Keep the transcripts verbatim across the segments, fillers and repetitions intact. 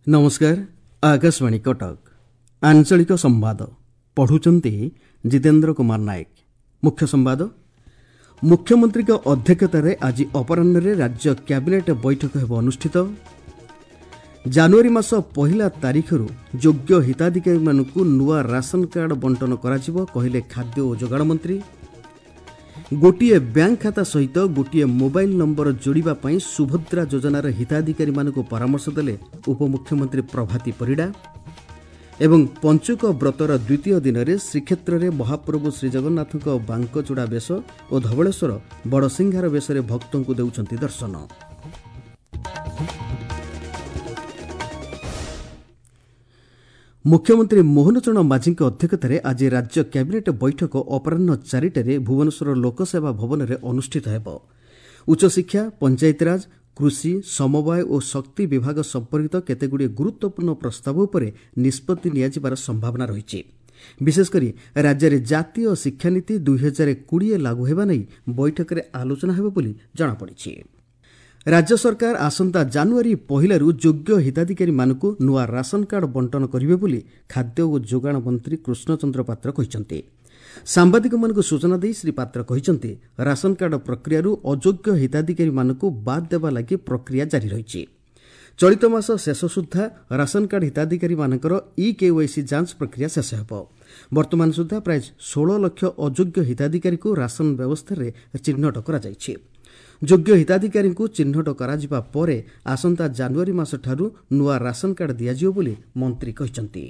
ନମସ୍କାର ଆକାଶବାଣୀ କଟକ ଆଞ୍ଚଳିକ ସମ୍ବାଦ ପଢୁଛନ୍ତି ଜିତେନ୍ଦ୍ର କୁମାର ନାୟକ ମୁଖ୍ୟ ସମ୍ବାଦ ମୁଖ୍ୟମନ୍ତ୍ରୀଙ୍କ ଅଧ୍ୟକ୍ଷତାରେ ଆଜି ଅପରାହ୍ନରେ ରାଜ୍ୟ କ୍ୟାବିନେଟ୍ ବୈଠକ ହେବ ଅନୁଷ୍ଠିତ ଜାନୁଆରୀ ମାସ ପହିଲା ତାରିଖରୁ ଯୋଗ୍ୟ ହିତାଧିକାରୀମାନଙ୍କୁ ନୂଆ ରାସନ କାର୍ଡ ବଣ୍ଟନ କରାଯିବ କହିଲେ ଖାଦ୍ୟ ଓ ଯୋଗାଣ ମନ୍ତ୍ରୀ ଗୋଟିଏ ବ୍ୟାଙ୍କ ଖାତା ସହିତ ଗୋଟିଏ ମୋବାଇଲ ନମ୍ବର ଯୋଡ଼ିବା ପାଇଁ ସୁଭଦ୍ରା ଯୋଜନାର ହିତାଧିକାରୀମାନଙ୍କୁ ପରାମର୍ଶ ଦେଲେ ଉପମୁଖ୍ୟମନ୍ତ୍ରୀ ପ୍ରଭାତୀ ପରିଡ଼ା ଏବଂ ପଞ୍ଚୁକ ବ୍ରତର ଦ୍ୱିତୀୟ ଦିନରେ ଶ୍ରୀକ୍ଷେତ୍ରରେ ମହାପ୍ରଭୁ ଶ୍ରୀଜଗନ୍ନାଥଙ୍କ ବାଙ୍କଚୂଡ଼ା ବେଶ ଓ ଧବଳେଶ୍ୱର ବଡ଼ସିଂହାର ବେଶରେ ଭକ୍ତଙ୍କୁ ଦେଉଛନ୍ତି ଦର୍ଶନ ମୁଖ୍ୟମନ୍ତ୍ରୀ ମୋହନ ଚରଣ ମାଝୀଙ୍କ ଅଧ୍ୟକ୍ଷତାରେ ଆଜି ରାଜ୍ୟ କ୍ୟାବିନେଟ୍ ବୈଠକ ଅପରାହ୍ନ ଚାରିଟାରେ ଭୁବନେଶ୍ୱର ଲୋକସେବା ଭବନରେ ଅନୁଷ୍ଠିତ ହେବ ଉଚ୍ଚଶିକ୍ଷା ପଞ୍ଚାୟତିରାଜ କୃଷି ସମବାୟ ଓ ଶକ୍ତି ବିଭାଗ ସମ୍ପର୍କିତ କେତେଗୁଡ଼ିଏ ଗୁରୁତ୍ୱପୂର୍ଣ୍ଣ ପ୍ରସ୍ତାବ ଉପରେ ନିଷ୍ପତ୍ତି ନିଆଯିବାର ସମ୍ଭାବନା ରହିଛି ବିଶେଷକରି ରାଜ୍ୟରେ ଜାତୀୟ ଶିକ୍ଷାନୀତି ଦୁଇହଜାର କୋଡ଼ିଏ ଲାଗୁ ହେବା ନେଇ ବୈଠକରେ ଆଲୋଚନା ହେବ ବୋଲି ଜଣାପଡ଼ିଛି ରାଜ୍ୟ ସରକାର ଆସନ୍ତା ଜାନୁଆରୀ ପହିଲାରୁ ଯୋଗ୍ୟ ହିତାଧିକାରୀମାନଙ୍କୁ ନୂଆ ରାସନ କାର୍ଡ ବଣ୍ଟନ କରିବେ ବୋଲି ଖାଦ୍ୟ ଓ ଯୋଗାଣ ମନ୍ତ୍ରୀ କୃଷ୍ଣଚନ୍ଦ୍ର ପାତ୍ର କହିଛନ୍ତି ସାମ୍ବାଦିକମାନଙ୍କୁ ସୂଚନା ଦେଇ ଶ୍ରୀ ପାତ୍ର କହିଛନ୍ତି ରାସନ କାର୍ଡ ପ୍ରକ୍ରିୟାରୁ ଅଯୋଗ୍ୟ ହିତାଧିକାରୀମାନଙ୍କୁ ବାଦ୍ ଦେବା ଲାଗି ପ୍ରକ୍ରିୟା ଜାରି ରହିଛି ଚଳିତ ମାସ ଶେଷ ସୁଦ୍ଧା ରାସନ କାର୍ଡ ହିତାଧିକାରୀମାନଙ୍କର ଇ କେୱାଇସି ଯାଞ୍ଚ ପ୍ରକ୍ରିୟା ଶେଷ ହେବ ବର୍ତ୍ତମାନ ସୁଦ୍ଧା ପ୍ରାୟ ଷୋହଳ ଲକ୍ଷ ଅଯୋଗ୍ୟ ହିତାଧିକାରୀଙ୍କୁ ରାସନ ବ୍ୟବସ୍ଥାରେ ଚିହ୍ନଟ କରାଯାଇଛି ଯୋଗ୍ୟ ହିତାଧିକାରୀଙ୍କୁ ଚିହ୍ନଟ କରାଯିବା ପରେ ଆସନ୍ତା ଜାନୁଆରୀ ମାସଠାରୁ ନୂଆ ରାସନ କାର୍ଡ ଦିଆଯିବ ବୋଲି ମନ୍ତ୍ରୀ କହିଛନ୍ତି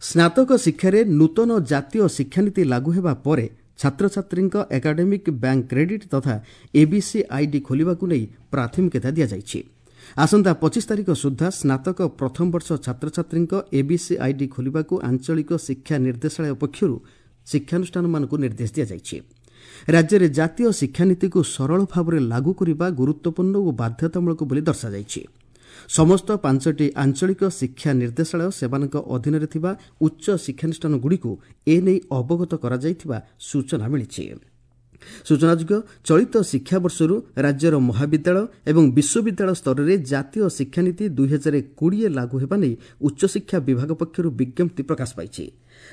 ସ୍ନାତକ ଶିକ୍ଷାରେ ନୂତନ ଜାତୀୟ ଶିକ୍ଷାନୀତି ଲାଗୁ ହେବା ପରେ ଛାତ୍ରଛାତ୍ରୀଙ୍କ ଏକାଡେମିକ୍ ବ୍ୟାଙ୍କ କ୍ରେଡିଟ୍ ତଥା ଏବିସି ଆଇଡି ଖୋଲିବାକୁ ନେଇ ପ୍ରାଥମିକତା ଦିଆଯାଇଛି ଆସନ୍ତା ପଚିଶ ତାରିଖ ସୁଦ୍ଧା ସ୍ନାତକ ପ୍ରଥମ ବର୍ଷ ଛାତ୍ରଛାତ୍ରୀଙ୍କ ଏବିସି ଆଇଡି ଖୋଲିବାକୁ ଆଞ୍ଚଳିକ ଶିକ୍ଷା ନିର୍ଦ୍ଦେଶାଳୟ ପକ୍ଷରୁ ଶିକ୍ଷାନୁଷ୍ଠାନମାନଙ୍କୁ ନିର୍ଦ୍ଦେଶ ଦିଆଯାଇଛି ରାଜ୍ୟରେ ଜାତୀୟ ଶିକ୍ଷାନୀତିକୁ ସରଳ ଭାବରେ ଲାଗୁ କରିବା ଗୁରୁତ୍ୱପୂର୍ଣ୍ଣ ଓ ବାଧ୍ୟତାମୂଳକ ବୋଲି ଦର୍ଶାଯାଇଛି ସମସ୍ତ ପାଞ୍ଚଟି ଆଞ୍ଚଳିକ ଶିକ୍ଷା ନିର୍ଦ୍ଦେଶାଳୟ ସେମାନଙ୍କ ଅଧୀନରେ ଥିବା ଉଚ୍ଚ ଶିକ୍ଷାନୁଷ୍ଠାନଗୁଡ଼ିକୁ ଏ ନେଇ ଅବଗତ କରାଯାଇଥିବା ସୂଚନା ମିଳିଛି ସୂଚନାଯୋଗ୍ୟ ଚଳିତ ଶିକ୍ଷାବର୍ଷରୁ ରାଜ୍ୟର ମହାବିଦ୍ୟାଳୟ ଏବଂ ବିଶ୍ୱବିଦ୍ୟାଳୟ ସ୍ତରରେ ଜାତୀୟ ଶିକ୍ଷାନୀତି ଦୁଇହଜାର କୋଡ଼ିଏ ଲାଗୁ ହେବା ନେଇ ଉଚ୍ଚଶିକ୍ଷା ବିଭାଗ ପକ୍ଷରୁ ବିଜ୍ଞପ୍ତି ପ୍ରକାଶ ପାଇଛି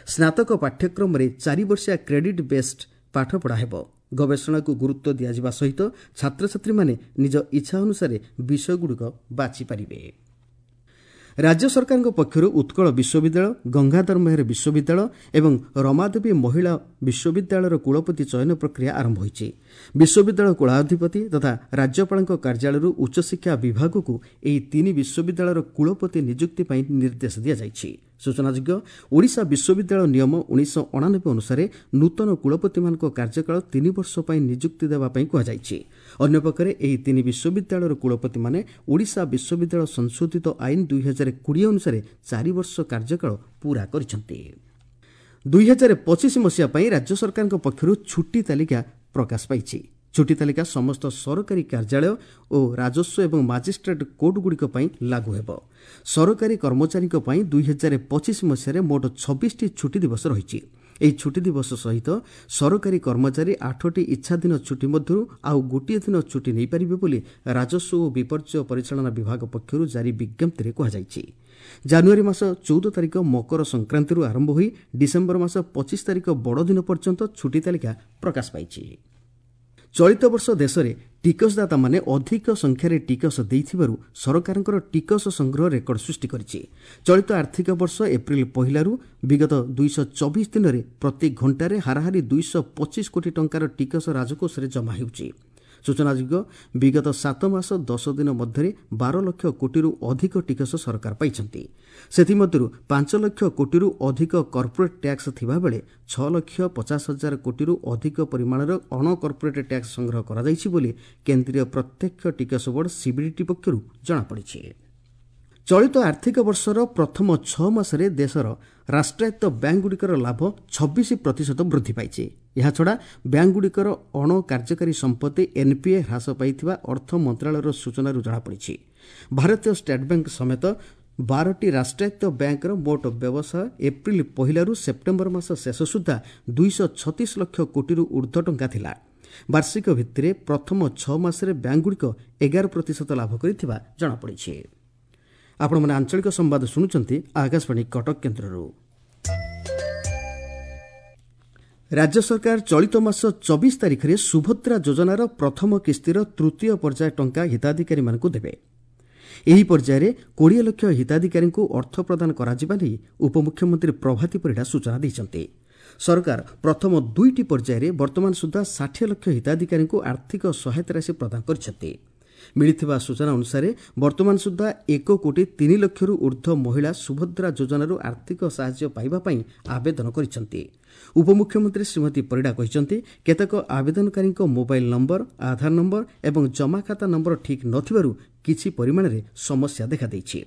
ସ୍ନାତକ ପାଠ୍ୟକ୍ରମରେ ଚାରିବର୍ଷିଆ କ୍ରେଡିଟ୍ ବେସ୍ଡ ପାଠପଢ଼ା ହେବ ଗବେଷଣାକୁ ଗୁରୁତ୍ୱ ଦିଆଯିବା ସହିତ ଛାତ୍ରଛାତ୍ରୀମାନେ ନିଜ ଇଚ୍ଛା ଅନୁସାରେ ବିଷୟଗୁଡ଼ିକ ବାଛିପାରିବେ ରାଜ୍ୟ ସରକାରଙ୍କ ପକ୍ଷରୁ ଉତ୍କଳ ବିଶ୍ୱବିଦ୍ୟାଳୟ ଗଙ୍ଗାଧର ମେହେର ବିଶ୍ୱବିଦ୍ୟାଳୟ ଏବଂ ରମାଦେବୀ ମହିଳା ବିଶ୍ୱବିଦ୍ୟାଳୟର କୁଳପତି ଚୟନ ପ୍ରକ୍ରିୟା ଆରମ୍ଭ ହୋଇଛି ବିଶ୍ୱବିଦ୍ୟାଳୟ କୁଳାଧିପତି ତଥା ରାଜ୍ୟପାଳଙ୍କ କାର୍ଯ୍ୟାଳୟରୁ ଉଚ୍ଚଶିକ୍ଷା ବିଭାଗକୁ ଏହି ତିନି ବିଶ୍ୱବିଦ୍ୟାଳୟର କୁଳପତି ନିଯୁକ୍ତି ପାଇଁ ନିର୍ଦ୍ଦେଶ ଦିଆଯାଇଛି ସୂଚନାଯୋଗ୍ୟ ଓଡ଼ିଶା ବିଶ୍ୱବିଦ୍ୟାଳୟ ନିୟମ ଉଣେଇଶହ ଅଣାନବେ ଅନୁସାରେ ନୂତନ କୁଳପତିମାନଙ୍କ କାର୍ଯ୍ୟକାଳ ତିନି ବର୍ଷ ପାଇଁ ନିଯୁକ୍ତି ଦେବା ପାଇଁ କୁହାଯାଇଛି ଅନ୍ୟପକ୍ଷରେ ଏହି ତିନି ବିଶ୍ୱବିଦ୍ୟାଳୟର କୁଳପତିମାନେ ଓଡ଼ିଶା ବିଶ୍ୱବିଦ୍ୟାଳୟ ସଂଶୋଧିତ ଆଇନ ଦୁଇହଜାର କୋଡ଼ିଏ ଅନୁସାରେ ଚାରି ବର୍ଷ କାର୍ଯ୍ୟକାଳ ପୂରା କରିଛନ୍ତି ଦୁଇହଜାର ପଚିଶ ମସିହା ପାଇଁ ରାଜ୍ୟ ସରକାରଙ୍କ ପକ୍ଷରୁ ଛୁଟି ତାଲିକା ପ୍ରକାଶ ପାଇଛି ଛୁଟି ତାଲିକା ସମସ୍ତ ସରକାରୀ କାର୍ଯ୍ୟାଳୟ ଓ ରାଜସ୍ୱ ଏବଂ ମାଜିଷ୍ଟ୍ରେଟ୍ କୋର୍ଟଗୁଡ଼ିକ ପାଇଁ ଲାଗୁ ହେବ ସରକାରୀ କର୍ମଚାରୀଙ୍କ ପାଇଁ ଦୁଇହଜାର ପଚିଶ ମସିହାରେ ମୋଟ ଛବିଶଟି ଛୁଟି ଦିବସ ରହିଛି ଏହି ଛୁଟି ଦିବସ ସହିତ ସରକାରୀ କର୍ମଚାରୀ ଆଠଟି ଇଚ୍ଛାଧୀନ ଛୁଟି ମଧ୍ୟରୁ ଆଉ ଗୋଟିଏ ଦିନ ଛୁଟି ନେଇପାରିବେ ବୋଲି ରାଜସ୍ୱ ଓ ବିପର୍ଯ୍ୟୟ ପରିଚାଳନା ବିଭାଗ ପକ୍ଷରୁ ଜାରି ବିଜ୍ଞପ୍ତିରେ କୁହାଯାଇଛି ଜାନୁଆରୀ ମାସ ଚଉଦ ତାରିଖ ମକର ସଂକ୍ରାନ୍ତିରୁ ଆରମ୍ଭ ହୋଇ ଡିସେମ୍ବର ମାସ ପଚିଶ ତାରିଖ ବଡ଼ଦିନ ପର୍ଯ୍ୟନ୍ତ ଛୁଟି ତାଲିକା ପ୍ରକାଶ ପାଇଛି ଚଳିତ ବର୍ଷ ଦେଶରେ ଟିକସଦାତାମାନେ ଅଧିକ ସଂଖ୍ୟାରେ ଟିକସ ଦେଇଥିବାରୁ ସରକାରଙ୍କର ଟିକସ ସଂଗ୍ରହ ରେକର୍ଡ ସୃଷ୍ଟି କରିଛି ଚଳିତ ଆର୍ଥିକ ବର୍ଷ ଏପ୍ରିଲ ପହିଲାରୁ ବିଗତ ଦୁଇଶହ ଚବିଶ ଦିନରେ ପ୍ରତି ଘଣ୍ଟାରେ ହାରାହାରି ଦୁଇଶହ ପଚିଶ କୋଟି ଟଙ୍କାର ଟିକସ ରାଜକୋଷରେ ଜମା ହେଉଛି ସୂଚନାଯୋଗ୍ୟ ବିଗତ ସାତ ମାସ ଦଶ ଦିନ ମଧ୍ୟରେ ବାର ଲକ୍ଷ କୋଟିରୁ ଅଧିକ ଟିକସ ସରକାର ପାଇଛନ୍ତି ସେଥିମଧ୍ୟରୁ ପାଞ୍ଚ ଲକ୍ଷ କୋଟିରୁ ଅଧିକ କର୍ପୋରେଟ୍ ଟ୍ୟାକ୍ସ ଥିବାବେଳେ ଛଅ ଲକ୍ଷ ପଚାଶ ହଜାର କୋଟିରୁ ଅଧିକ ପରିମାଣର ଅଣ କର୍ପୋରେଟ୍ ଟ୍ୟାକ୍ସ ସଂଗ୍ରହ କରାଯାଇଛି ବୋଲି କେନ୍ଦ୍ରୀୟ ପ୍ରତ୍ୟକ୍ଷ ଟିକସ ବୋର୍ଡ ସିବିଡିଟି ପକ୍ଷରୁ ଜଣାପଡ଼ିଛି ଚଳିତ ଆର୍ଥିକ ବର୍ଷର ପ୍ରଥମ ଛଅ ମାସରେ ଦେଶର ରାଷ୍ଟ୍ରାୟତ୍ତ ବ୍ୟାଙ୍କଗୁଡ଼ିକର ଲାଭ ଛବିଶ ପ୍ରତିଶତ ବୃଦ୍ଧି ପାଇଛି ଏହାଛଡ଼ା ବ୍ୟାଙ୍କଗୁଡ଼ିକର ଅଣକାର୍ଯ୍ୟକାରୀ ସମ୍ପତ୍ତି ଏନ୍ପିଏ ହ୍ରାସ ପାଇଥିବା ଅର୍ଥ ମନ୍ତ୍ରଣାଳୟର ସୂଚନାରୁ ଜଣାପଡ଼ିଛି ଭାରତୀୟ ଷ୍ଟେଟ୍ ବ୍ୟାଙ୍କ ସମେତ ବାରଟି ରାଷ୍ଟ୍ରାୟତ୍ତ ବ୍ୟାଙ୍କର ମୋଟ ବ୍ୟବସାୟ ଏପ୍ରିଲ ପହିଲାରୁ ସେପ୍ଟେମ୍ବର ମାସ ଶେଷ ସୁଦ୍ଧା ଦୁଇଶହ ଛତିଶ ଲକ୍ଷ କୋଟିରୁ ଉର୍ଦ୍ଧ୍ୱ ଟଙ୍କା ଥିଲା ବାର୍ଷିକ ଭିତ୍ତିରେ ପ୍ରଥମ ଛଅ ମାସରେ ବ୍ୟାଙ୍କଗୁଡ଼ିକ ଏଗାର ପ୍ରତିଶତ ଲାଭ କରିଥିବା ଜଣାପଡ଼ିଛି ଆପଣମାନେ ଆଞ୍ଚଳିକ ସମ୍ବାଦ ଶୁଣୁଛନ୍ତି ଆକାଶବାଣୀ କଟକ କେନ୍ଦ୍ରରୁ। ରାଜ୍ୟ ସରକାର ଚଳିତ ମାସ ଚବିଶ ତାରିଖରେ ସୁଭଦ୍ରା ଯୋଜନାର ପ୍ରଥମ କିସ୍ତିର ତୃତୀୟ ପର୍ଯ୍ୟାୟ ଟଙ୍କା ହିତାଧିକାରୀମାନଙ୍କୁ ଦେବେ। ଏହି ପର୍ଯ୍ୟାୟରେ କୋଡ଼ିଏ ଲକ୍ଷ ହିତାଧିକାରୀଙ୍କୁ ଅର୍ଥ ପ୍ରଦାନ କରାଯିବା ନେଇ ଉପମୁଖ୍ୟମନ୍ତ୍ରୀ ପ୍ରଭାତୀ ପରିଡ଼ା ସୂଚନା ଦେଇଛନ୍ତି। ସରକାର ପ୍ରଥମ ଦୁଇଟି ପର୍ଯ୍ୟାୟରେ ବର୍ତ୍ତମାନ ସୁଦ୍ଧା ଷାଠିଏ ଲକ୍ଷ ହିତାଧିକାରୀଙ୍କୁ ଆର୍ଥିକ ସହାୟତା ରାଶି ପ୍ରଦାନ କରିଛନ୍ତି। ମିଳିଥିବା ସୂଚନା ଅନୁସାରେ ବର୍ତ୍ତମାନ ସୁଦ୍ଧା ଏକ କୋଟି ତିନି ଲକ୍ଷରୁ ଉର୍ଦ୍ଧ୍ୱ ମହିଳା ସୁଭଦ୍ରା ଯୋଜନାରୁ ଆର୍ଥିକ ସାହାଯ୍ୟ ପାଇବା ପାଇଁ ଆବେଦନ କରିଛନ୍ତି। ଉପମୁଖ୍ୟମନ୍ତ୍ରୀ ଶ୍ରୀମତୀ ପରିଡ଼ା କହିଛନ୍ତି, କେତେକ ଆବେଦନକାରୀଙ୍କ ମୋବାଇଲ ନମ୍ବର, ଆଧାର ନମ୍ବର ଏବଂ ଜମାଖାତା ନମ୍ବର ଠିକ୍ ନଥିବାରୁ କିଛି ପରିମାଣରେ ସମସ୍ୟା ଦେଖାଦେଇଛି।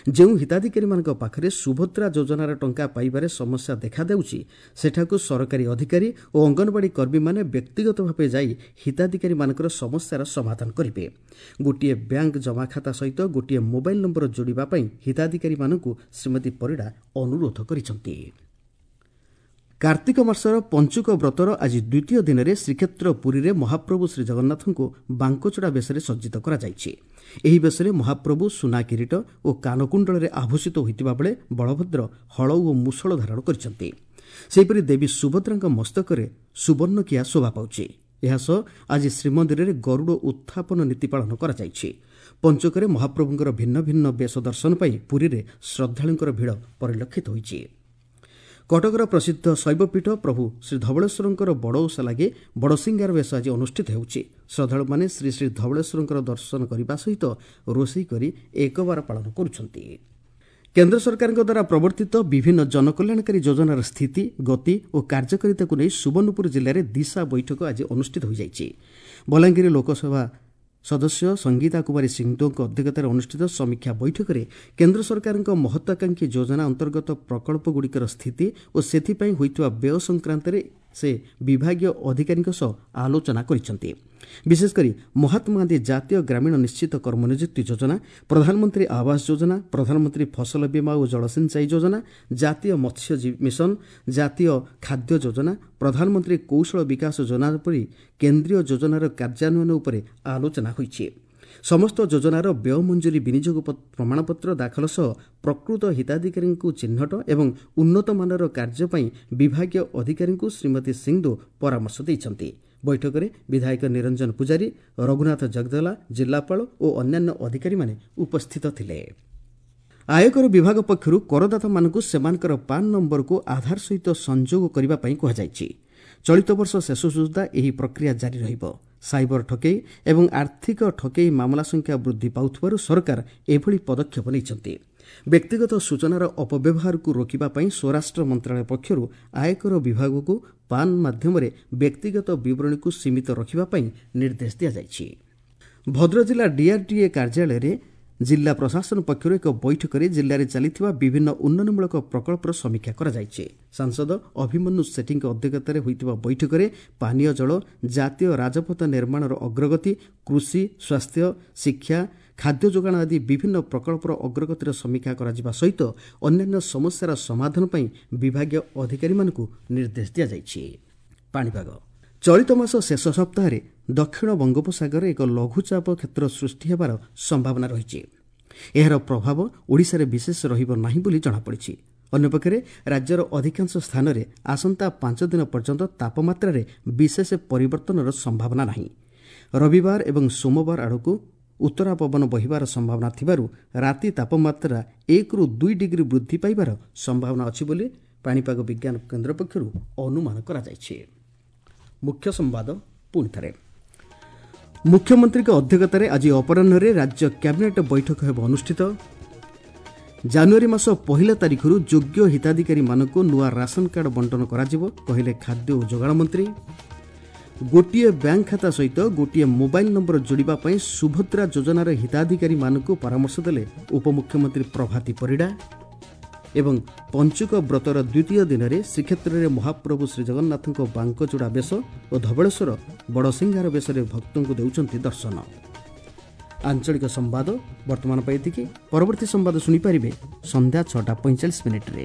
ଯେଉଁ ହିତାଧିକାରୀମାନଙ୍କ ପାଖରେ ସୁଭଦ୍ରା ଯୋଜନାର ଟଙ୍କା ପାଇବାରେ ସମସ୍ୟା ଦେଖାଦେଉଛି, ସେଠାକୁ ସରକାରୀ ଅଧିକାରୀ ଓ ଅଙ୍ଗନବାଡ଼ି କର୍ମୀମାନେ ବ୍ୟକ୍ତିଗତ ଭାବେ ଯାଇ ହିତାଧିକାରୀମାନଙ୍କର ସମସ୍ୟାର ସମାଧାନ କରିବେ। ଗୋଟିଏ ବ୍ୟାଙ୍କ ଜମାଖାତା ସହିତ ଗୋଟିଏ ମୋବାଇଲ ନମ୍ବର ଯୋଡ଼ିବା ପାଇଁ ହିତାଧିକାରୀମାନଙ୍କୁ ଶ୍ରୀମତୀ ପରିଡ଼ା ଅନୁରୋଧ କରିଛନ୍ତି। କାର୍ତ୍ତିକ ମାସର ପଞ୍ଚୁକ ବ୍ରତର ଆଜି ଦ୍ୱିତୀୟ ଦିନରେ ଶ୍ରୀକ୍ଷେତ୍ର ପୁରୀରେ ମହାପ୍ରଭୁ ଶ୍ରୀଜଗନ୍ନାଥଙ୍କୁ ବାଙ୍କଚୂଡ଼ା ବେଶରେ ସଜ୍ଜିତ କରାଯାଇଛି। ଏହି ବେଶରେ ମହାପ୍ରଭୁ ସୁନା କିରୀଟ ଓ କାନକୁଣ୍ଡଳରେ ଆଭୂଷିତ ହୋଇଥିବା ବେଳେ ବଳଭଦ୍ର ହଳ ଓ ମୁଷଳ ଧାରଣ କରିଛନ୍ତି। ସେହିପରି ଦେବୀ ସୁଭଦ୍ରାଙ୍କ ମସ୍ତକରେ ସୁବର୍ଣ୍ଣକିଆ ଶୋଭା ପାଉଛି। ଏହାସହ ଆଜି ଶ୍ରୀମନ୍ଦିରରେ ଗରୁଡ଼ ଉତ୍ଥାପନ ନୀତି ପାଳନ କରାଯାଇଛି। ପଞ୍ଚକରେ ମହାପ୍ରଭୁଙ୍କର ଭିନ୍ନ ଭିନ୍ନ ବେଶ ଦର୍ଶନ ପାଇଁ ପୁରୀରେ ଶ୍ରଦ୍ଧାଳୁଙ୍କର ଭିଡ଼ ପରିଲକ୍ଷିତ ହୋଇଛି। କଟକର ପ୍ରସିଦ୍ଧ ଶୈବପୀଠ ପ୍ରଭୁ ଶ୍ରୀ ଧବଳେଶ୍ୱରଙ୍କର ବଡ଼ ଓଷା ଲାଗି ବଡ଼ସିଂହାର ବେଶ ଆଜି ଅନୁଷ୍ଠିତ ହେଉଛି। ଶ୍ରଦ୍ଧାଳୁମାନେ ଶ୍ରୀ ଶ୍ରୀ ଧବଳେଶ୍ୱରଙ୍କର ଦର୍ଶନ କରିବା ସହିତ ରୋଷେଇ କରି ଏକବାର ପାଳନ କରୁଛନ୍ତି। କେନ୍ଦ୍ର ସରକାରଙ୍କ ଦ୍ୱାରା ପ୍ରବର୍ତ୍ତିତ ବିଭିନ୍ନ ଜନକଲ୍ୟାଣକାରୀ ଯୋଜନାର ସ୍ଥିତି, ଗତି ଓ କାର୍ଯ୍ୟକାରିତାକୁ ନେଇ ସୁବର୍ଣ୍ଣପୁର ଜିଲ୍ଲାରେ ଦିଶା ବୈଠକ ଆଜି ଅନୁଷ୍ଠିତ ହୋଇଯାଇଛି। ବଲାଙ୍ଗୀର ଲୋକସଭା ସଦସ୍ୟ ସଙ୍ଗୀତା କୁମାରୀ ସିଂଦେଓଙ୍କ ଅଧ୍ୟକ୍ଷତାରେ ଅନୁଷ୍ଠିତ ସମୀକ୍ଷା ବୈଠକରେ କେନ୍ଦ୍ର ସରକାରଙ୍କ ମହତ୍ୱାକାଂକ୍ଷୀ ଯୋଜନା ଅନ୍ତର୍ଗତ ପ୍ରକଳ୍ପଗୁଡ଼ିକର ସ୍ଥିତି ଓ ସେଥିପାଇଁ ହୋଇଥିବା ବ୍ୟୟ ସଂକ୍ରାନ୍ତରେ ସେ ବିଭାଗୀୟ ଅଧିକାରୀଙ୍କ ସହ ଆଲୋଚନା କରିଛନ୍ତି। ବିଶେଷକରି ମହାତ୍ମା ଗାନ୍ଧୀ ଜାତୀୟ ଗ୍ରାମୀଣ ନିଶ୍ଚିତ କର୍ମନିଯୁକ୍ତି ଯୋଜନା, ପ୍ରଧାନମନ୍ତ୍ରୀ ଆବାସ ଯୋଜନା, ପ୍ରଧାନମନ୍ତ୍ରୀ ଫସଲ ବୀମା ଓ ଜଳସିଞ୍ଚାଇ ଯୋଜନା, ଜାତୀୟ ମତ୍ସ୍ୟ ମିଶନ, ଜାତୀୟ ଖାଦ୍ୟ ଯୋଜନା, ପ୍ରଧାନମନ୍ତ୍ରୀ କୌଶଳ ବିକାଶ ଯୋଜନା ପରି କେନ୍ଦ୍ରୀୟ ଯୋଜନାର କାର୍ଯ୍ୟାନ୍ୱୟନ ଉପରେ ଆଲୋଚନା ହୋଇଛି। ସମସ୍ତ ଯୋଜନାର ବ୍ୟୟ ମଞ୍ଜୁରୀ ବିନିଯୋଗ ପ୍ରମାଣପତ୍ର ଦାଖଲ ସହ ପ୍ରକୃତ ହିତାଧିକାରୀଙ୍କୁ ଚିହ୍ନଟ ଏବଂ ଉନ୍ନତମାନର କାର୍ଯ୍ୟ ପାଇଁ ବିଭାଗୀୟ ଅଧିକାରୀଙ୍କୁ ଶ୍ରୀମତୀ ସିଂଦେଓ ପରାମର୍ଶ ଦେଇଛନ୍ତି। ବୈଠକରେ ବିଧାୟକ ନିରଞ୍ଜନ ପୂଜାରୀ, ରଘୁନାଥ ଜଗଦଲା, ଜିଲ୍ଲାପାଳ ଓ ଅନ୍ୟାନ୍ୟ ଅଧିକାରୀମାନେ ଉପସ୍ଥିତ ଥିଲେ। ଆୟକର ବିଭାଗ ପକ୍ଷରୁ କରଦାତାମାନଙ୍କୁ ସେମାନଙ୍କର ପାନ୍ ନମ୍ବରକୁ ଆଧାର ସହିତ ସଂଯୋଗ କରିବା ପାଇଁ କୁହାଯାଇଛି। ଚଳିତ ବର୍ଷ ଶେଷ ସୁଦ୍ଧା ଏହି ପ୍ରକ୍ରିୟା ଜାରି ରହିବ। ସାଇବର ଠକେଇ ଏବଂ ଆର୍ଥିକ ଠକେଇ ମାମଲା ସଂଖ୍ୟା ବୃଦ୍ଧି ପାଉଥିବାରୁ ସରକାର ଏଭଳି ପଦକ୍ଷେପ ନେଇଛନ୍ତି। ବ୍ୟକ୍ତିଗତ ସୂଚନାର ଅପବ୍ୟବହାରକୁ ରୋକିବା ପାଇଁ ସ୍ୱରାଷ୍ଟ୍ର ମନ୍ତ୍ରଣାଳୟ ପକ୍ଷରୁ ଆୟକର ବିଭାଗକୁ ପାନ୍ ମାଧ୍ୟମରେ ବ୍ୟକ୍ତିଗତ ବିବରଣୀକୁ ସୀମିତ ରଖିବା ପାଇଁ ନିର୍ଦ୍ଦେଶ ଦିଆଯାଇଛି। ଭଦ୍ରକ ଜିଲ୍ଲା ଡିଆର୍ଡିଏ କାର୍ଯ୍ୟାଳୟରେ ଜିଲ୍ଲା ପ୍ରଶାସନ ପକ୍ଷରୁ ଏକ ବୈଠକରେ ଜିଲ୍ଲାରେ ଚାଲିଥିବା ବିଭିନ୍ନ ଉନ୍ନୟନମୂଳକ ପ୍ରକଳ୍ପର ସମୀକ୍ଷା କରାଯାଇଛି। ସାଂସଦ ଅଭିମନ୍ୟୁ ସେଠୀଙ୍କ ଅଧ୍ୟକ୍ଷତାରେ ହୋଇଥିବା ବୈଠକରେ ପାନୀୟ ଜଳ, ଜାତୀୟ ରାଜପଥ ନିର୍ମାଣର ଅଗ୍ରଗତି, କୃଷି, ସ୍ୱାସ୍ଥ୍ୟ, ଶିକ୍ଷା, ଖାଦ୍ୟ ଯୋଗାଣ ଆଦି ବିଭିନ୍ନ ପ୍ରକଳ୍ପର ଅଗ୍ରଗତିର ସମୀକ୍ଷା କରାଯିବା ସହିତ ଅନ୍ୟାନ୍ୟ ସମସ୍ୟାର ସମାଧାନ ପାଇଁ ବିଭାଗୀୟ ଅଧିକାରୀମାନଙ୍କୁ ନିର୍ଦ୍ଦେଶ ଦିଆଯାଇଛି। ପାଣିପାଗ ଚଳିତ ମାସ ଶେଷ ସପ୍ତାହରେ ଦକ୍ଷିଣ ବଙ୍ଗୋପସାଗରରେ ଏକ ଲଘୁଚାପ କ୍ଷେତ୍ର ସୃଷ୍ଟି ହେବାର ସମ୍ଭାବନା ରହିଛି। ଏହାର ପ୍ରଭାବ ଓଡ଼ିଶାରେ ବିଶେଷ ରହିବ ନାହିଁ ବୋଲି ଜଣାପଡ଼ିଛି। ଅନ୍ୟପକ୍ଷରେ ରାଜ୍ୟର ଅଧିକାଂଶ ସ୍ଥାନରେ ଆସନ୍ତା ପାଞ୍ଚ ଦିନ ପର୍ଯ୍ୟନ୍ତ ତାପମାତ୍ରାରେ ବିଶେଷ ପରିବର୍ତ୍ତନର ସମ୍ଭାବନା ନାହିଁ। ରବିବାର ଏବଂ ସୋମବାର ଆଡ଼କୁ ଉତ୍ତରା ପବନ ବହିବାର ସମ୍ଭାବନା ଥିବାରୁ ରାତି ତାପମାତ୍ରା ଏକରୁ ଦୁଇ ଡିଗ୍ରୀ ବୃଦ୍ଧି ପାଇବାର ସମ୍ଭାବନା ଅଛି ବୋଲି ପାଣିପାଗ ବିଜ୍ଞାନ କେନ୍ଦ୍ର ପକ୍ଷରୁ ଅନୁମାନ କରାଯାଇଛି। ମୁଖ୍ୟ ସମ୍ବାଦ ପୁଣି ଥରେ। ମୁଖ୍ୟମନ୍ତ୍ରୀଙ୍କ ଅଧ୍ୟକ୍ଷତାରେ ଆଜି ଅପରାହ୍ନରେ ରାଜ୍ୟ କ୍ୟାବିନେଟ୍ ବୈଠକ ହେବ ଅନୁଷ୍ଠିତ। ଜାନୁଆରୀ ମାସ ପହିଲା ତାରିଖରୁ ଯୋଗ୍ୟ ହିତାଧିକାରୀମାନଙ୍କୁ ନୂଆ ରାସନ କାର୍ଡ ବଣ୍ଟନ କରାଯିବ, କହିଲେ ଖାଦ୍ୟ ଓ ଯୋଗାଣ ମନ୍ତ୍ରୀ। ଗୋଟିଏ ବ୍ୟାଙ୍କ ଖାତା ସହିତ ଗୋଟିଏ ମୋବାଇଲ ନମ୍ବର ଯୋଡ଼ିବା ପାଇଁ ସୁଭଦ୍ରା ଯୋଜନାର ହିତାଧିକାରୀମାନଙ୍କୁ ପରାମର୍ଶ ଦେଲେ ଉପମୁଖ୍ୟମନ୍ତ୍ରୀ ପ୍ରଭାତୀ ପରିଡ଼ା। ଏବଂ ପଞ୍ଚୁକ ବ୍ରତର ଦ୍ୱିତୀୟ ଦିନରେ ଶ୍ରୀକ୍ଷେତ୍ରରେ ମହାପ୍ରଭୁ ଶ୍ରୀଜଗନ୍ନାଥଙ୍କ ବାଙ୍କଚୂଡ଼ା ବେଶ ଓ ଧବଳେଶ୍ୱର ବଡ଼ସିଂହାର ବେଶରେ ଭକ୍ତଙ୍କୁ ଦେଉଛନ୍ତି ଦର୍ଶନ। ଆଞ୍ଚଳିକ ସମ୍ବାଦ ବର୍ତ୍ତମାନ ପାଇଁ ଏତିକି। ପରବର୍ତ୍ତୀ ସମ୍ବାଦ ଶୁଣିପାରିବେ ସନ୍ଧ୍ୟା ଛଅଟା ପଇଁଚାଳିଶ ମିନିଟ୍ରେ।